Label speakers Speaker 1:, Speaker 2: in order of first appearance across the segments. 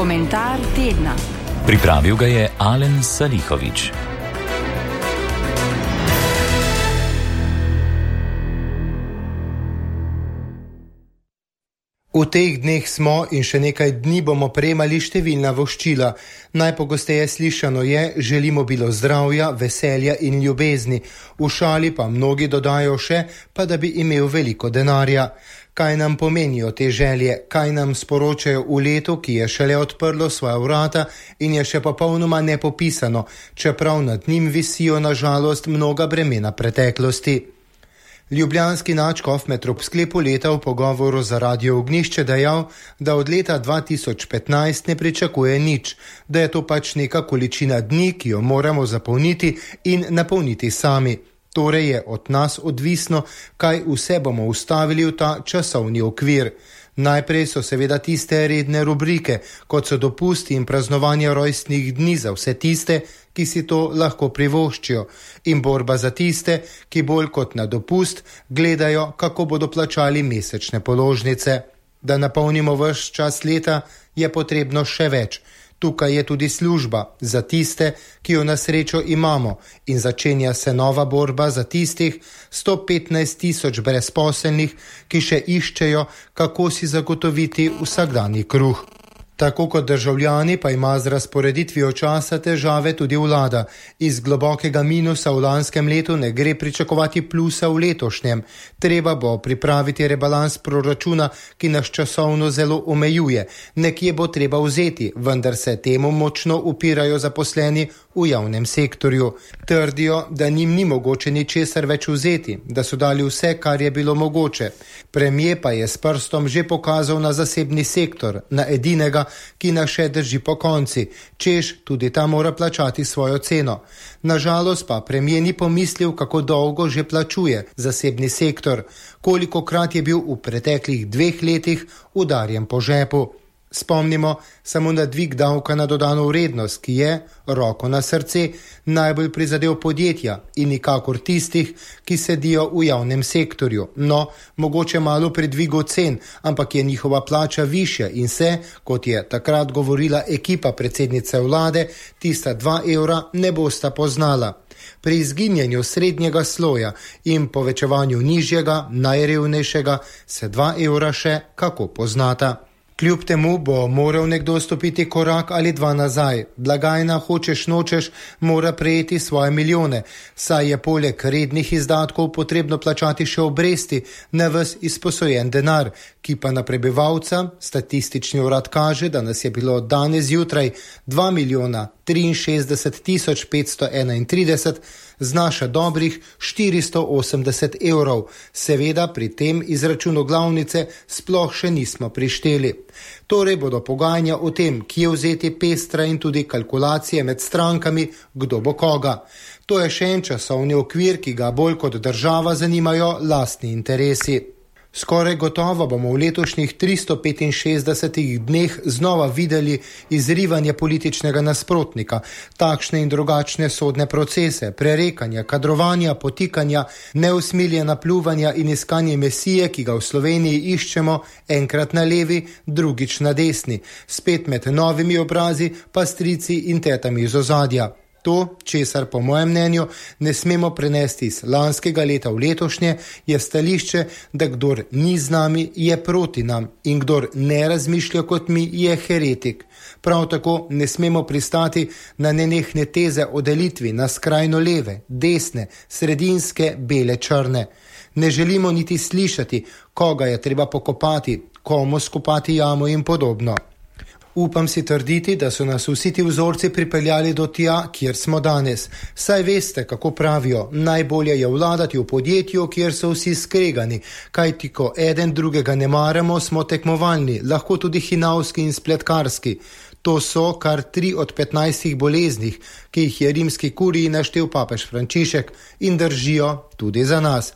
Speaker 1: Komentar tedna.
Speaker 2: Pripravil ga je Alen Salihović.
Speaker 3: V teh dneh smo in še nekaj dni bomo prejemali številna voščila. Najpogosteje slišano je: želimo bilo zdravja, veselja in ljubezni. V šali pa mnogi dodajo še, pa da bi imel veliko denarja. Kaj nam pomenijo te želje, kaj nam sporočajo v letu, ki je šele odprlo svoja vrata in je še popolnoma nepopisano, čeprav nad njim visijo na žalost mnoga bremena preteklosti. Ljubljanski nadškof med ob sklepu leta v pogovoru za Radio Ognjišče dejal, da od leta 2015 ne pričakuje nič, da je to pač neka količina dni, ki jo moramo zapolniti in napolniti sami. Torej je od nas odvisno, kaj vse bomo ustavili v ta časovni okvir. Najprej so seveda tiste redne rubrike, kot so dopusti in praznovanje rojstnih dni za vse tiste, ki si to lahko privoščijo, in borba za tiste, ki bolj kot na dopust gledajo, kako bodo plačali mesečne položnice. Da napolnimo ves čas leta, je potrebno še več. Tukaj je tudi služba za tiste, ki jo na srečo imamo, in začenja se nova borba za tistih 115 000 brezposelnih, ki še iščejo, kako si zagotoviti vsakdanji kruh. Tako kot državljani pa ima z razporeditvijo časa težave tudi vlada. Iz globokega minusa v lanskem letu ne gre pričakovati plusa v letošnjem. Treba bo pripraviti rebalans proračuna, ki nas časovno zelo omejuje. Nekje bo treba vzeti, vendar se temu močno upirajo zaposleni v javnem sektorju. Trdijo, da njim ni mogoče ničesar več vzeti, da so dali vse, kar je bilo mogoče. Premier pa je s prstom že pokazal na zasebni sektor, na edinega, ki nas še drži po konci, češ tudi ta mora plačati svojo ceno. Nažalost pa premier ni pomislil, kako dolgo že plačuje zasebni sektor, kolikokrat je bil v preteklih 2 letih udarjen po žepu. Spomnimo samo na dvig davka na dodano vrednost, ki je, roko na srce, najbolj prizadel podjetja in nikakor tistih, ki sedijo v javnem sektorju. No, mogoče malo pri dvigu cen, ampak je njihova plača višja in se, kot je takrat govorila ekipa predsednice vlade, tista 2 evra ne bosta poznala. Pri izginjanju srednjega sloja in povečevanju nižjega, najrevnejšega, se 2 evra še kako poznata. Kljub temu bo moral nekdo stopiti korak ali 2 nazaj. Blagajna, hočeš nočeš, mora prejeti svoje milijone, saj je poleg rednih izdatkov potrebno plačati še obresti na ves izposojen denar, ki pa na prebivalca, statistični urad kaže, da nas je bilo danes zjutraj 2 063 531, znaša dobrih 480 evrov. Seveda pri tem izračunu glavnice sploh še nismo prišteli. Torej bodo pogajanja o tem, kje vzeti pestra in tudi kalkulacije med strankami, kdo bo koga. To je še en časovni okvir, ki ga bolj kot država zanimajo lastni interesi. Skoraj gotovo bomo v letošnjih 365 dneh znova videli izrivanje političnega nasprotnika, takšne in drugačne sodne procese, prerekanja, kadrovanja, potikanja, neusmiljena pljuvanja in iskanje mesije, ki ga v Sloveniji iščemo enkrat na levi, drugič na desni, spet med novimi obrazi, pa strici in tetami iz ozadja. To, česar po mojem mnenju ne smemo prenesti iz lanskega leta v letošnje, je stališče, da kdor ni z nami, je proti nam in kdor ne razmišlja kot mi, je heretik. Prav tako ne smemo pristati na nenehne teze o delitvi na skrajno leve, desne, sredinske, bele, črne. Ne želimo niti slišati, koga je treba pokopati, komu skopati jamo in podobno. Upam si trditi, da so nas vsi ti vzorci pripeljali do tja, kjer smo danes. Saj veste, kako pravijo, najbolje je vladati v podjetju, kjer so vsi skregani, kajti ko eden drugega ne maramo, smo tekmovalni, lahko tudi hinavski in spletkarski. To so kar 3 od 15 boleznih, ki jih je rimski kuriji naštel papež Frančišek in držijo tudi za nas.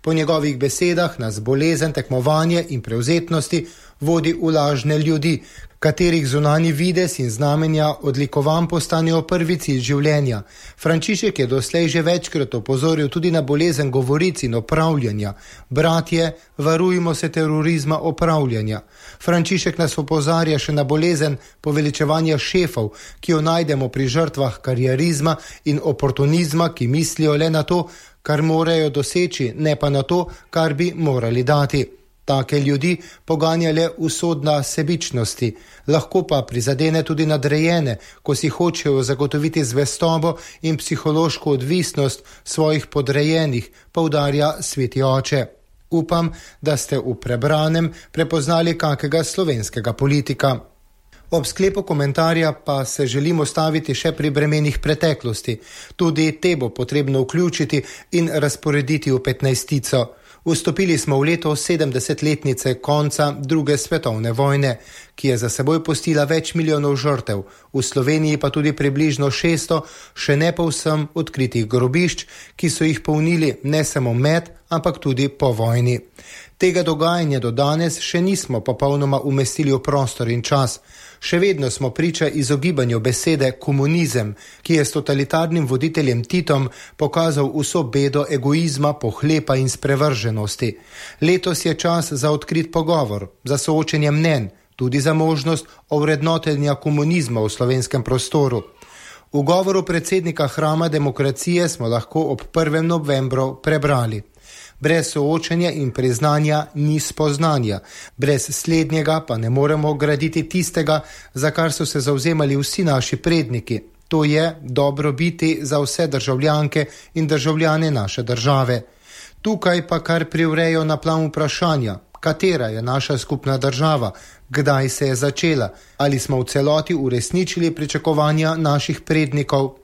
Speaker 3: Po njegovih besedah nas bolezen, tekmovanje in prevzetnosti vodi v lažne ljudi, katerih zunanji videz in znamenja odlikovan postanejo prvi cilj življenja. Frančišek je doslej že večkrat opozoril tudi na bolezen govoric in opravljanja. Bratje, varujmo se terorizma opravljanja. Frančišek nas opozarja še na bolezen poveličevanja šefov, ki jo najdemo pri žrtvah karierizma in oportunizma, ki mislijo le na to, kar morajo doseči, ne pa na to, kar bi morali dati. Take ljudi poganja le usodna sebičnosti, lahko pa prizadene tudi nadrejene, ko si hočejo zagotoviti zvestobo in psihološko odvisnost svojih podrejenih, poudarja sveti oče. Upam, da ste v prebranem prepoznali kakega slovenskega politika. Ob sklepu komentarja pa se želimo staviti še pri bremenih preteklosti. Tudi te bo potrebno vključiti in razporediti v 15-tico. Vstopili smo v leto 70-letnice konca druge svetovne vojne, ki je za seboj pustila več milijonov žrtev, v Sloveniji pa tudi približno 600 še ne povsem odkritih grobišč, ki so jih polnili ne samo med, ampak tudi po vojni. Tega dogajanja do danes še nismo popolnoma umestili v prostor in čas. Še vedno smo priča izogibanju besede komunizem, ki je s totalitarnim voditeljem Titom pokazal vso bedo egoizma, pohlepa in sprevrženosti. Letos je čas za odkrit pogovor, za soočenje mnenj, tudi za možnost ovrednotenja komunizma v slovenskem prostoru. V govoru predsednika Hrama demokracije smo lahko ob 1. novembru prebrali: brez soočenja in priznanja ni spoznanja, brez slednjega pa ne moremo graditi tistega, za kar so se zavzemali vsi naši predniki. To je dobro biti za vse državljanke in državljane naše države. Tukaj pa kar privrejo na plan vprašanja, katera je naša skupna država, kdaj se je začela, ali smo v celoti uresničili pričakovanja naših prednikov.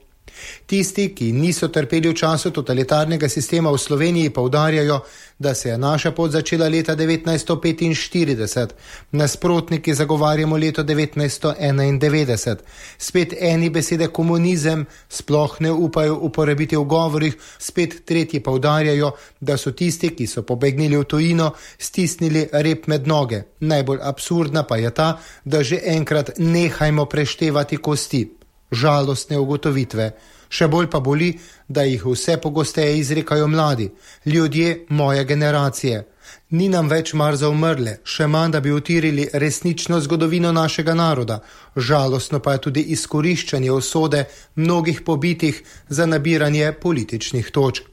Speaker 3: Tisti, ki niso trpeli v času totalitarnega sistema v Sloveniji, poudarjajo, da se je naša pot začela leta 1945, nasprotniki zagovarjamo leto 1991. Spet eni besede komunizem sploh ne upajo uporabiti v govorih, spet tretji poudarjajo, da so tisti, ki so pobegnili v tujino, stisnili rep med noge. Najbolj absurdna pa je ta, da že enkrat nehajmo preštevati kosti. Žalostne ugotovitve. Še bolj pa boli, da jih vse pogosteje izrekajo mladi, ljudje moje generacije. Ni nam več mar za umrle, še manj, da bi utirili resnično zgodovino našega naroda. Žalostno pa je tudi izkoriščanje usode mnogih pobitih za nabiranje političnih točk.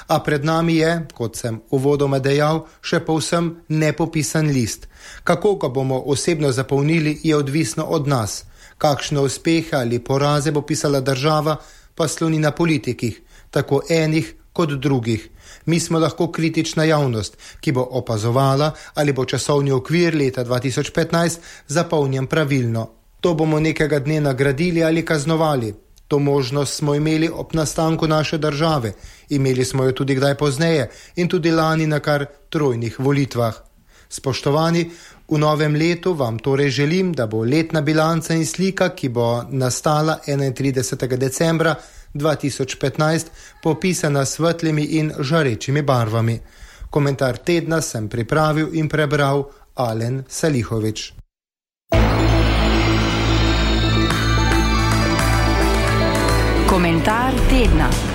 Speaker 3: A pred nami je, kot sem uvodoma dejal, še povsem nepopisan list. Kako ga bomo osebno zapolnili, je odvisno od nas. Kakšne uspehe ali poraze bo pisala država, pa sloni na politikih, tako enih kot drugih. Mi smo lahko kritična javnost, ki bo opazovala, ali bo časovni okvir leta 2015 zapolnjen pravilno. To bomo nekega dne nagradili ali kaznovali. To možnost smo imeli ob nastanku naše države, imeli smo jo tudi kdaj pozneje in tudi lani na kar 3 volitvah. Spoštovani, v novem letu vam torej želim, da bo letna bilanca in slika, ki bo nastala 31. decembra 2015, popisana s svetlimi in žarečimi barvami. Komentar tedna sem pripravil in prebral Alen Salihović.
Speaker 1: Komentar tedna.